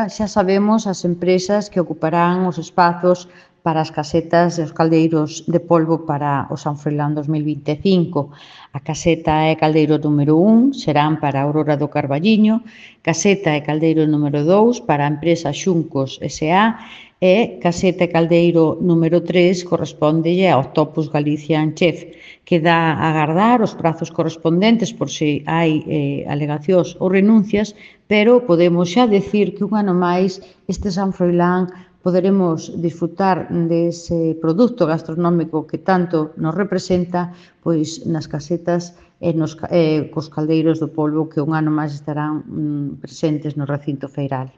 xa sabemos as empresas que ocuparán os espazos para as casetas e os caldeiros de polvo para o San Froilán 2025. A caseta e caldeiro número 1 serán para a Aurora do Carballiño, caseta e caldeiro número 2 para a empresa Xuncos S.A. e caseta e caldeiro número 3 correspóndelle ao Octopus Galician Chef. Queda agardar os prazos correspondentes por se hai alegacións ou renuncias, pero podemos xa decir que un ano máis este San Froilán poderemos disfrutar dese produto gastronómico que tanto nos representa pois nas casetas e cos caldeiros do polvo que un ano máis estarán presentes no recinto feiral.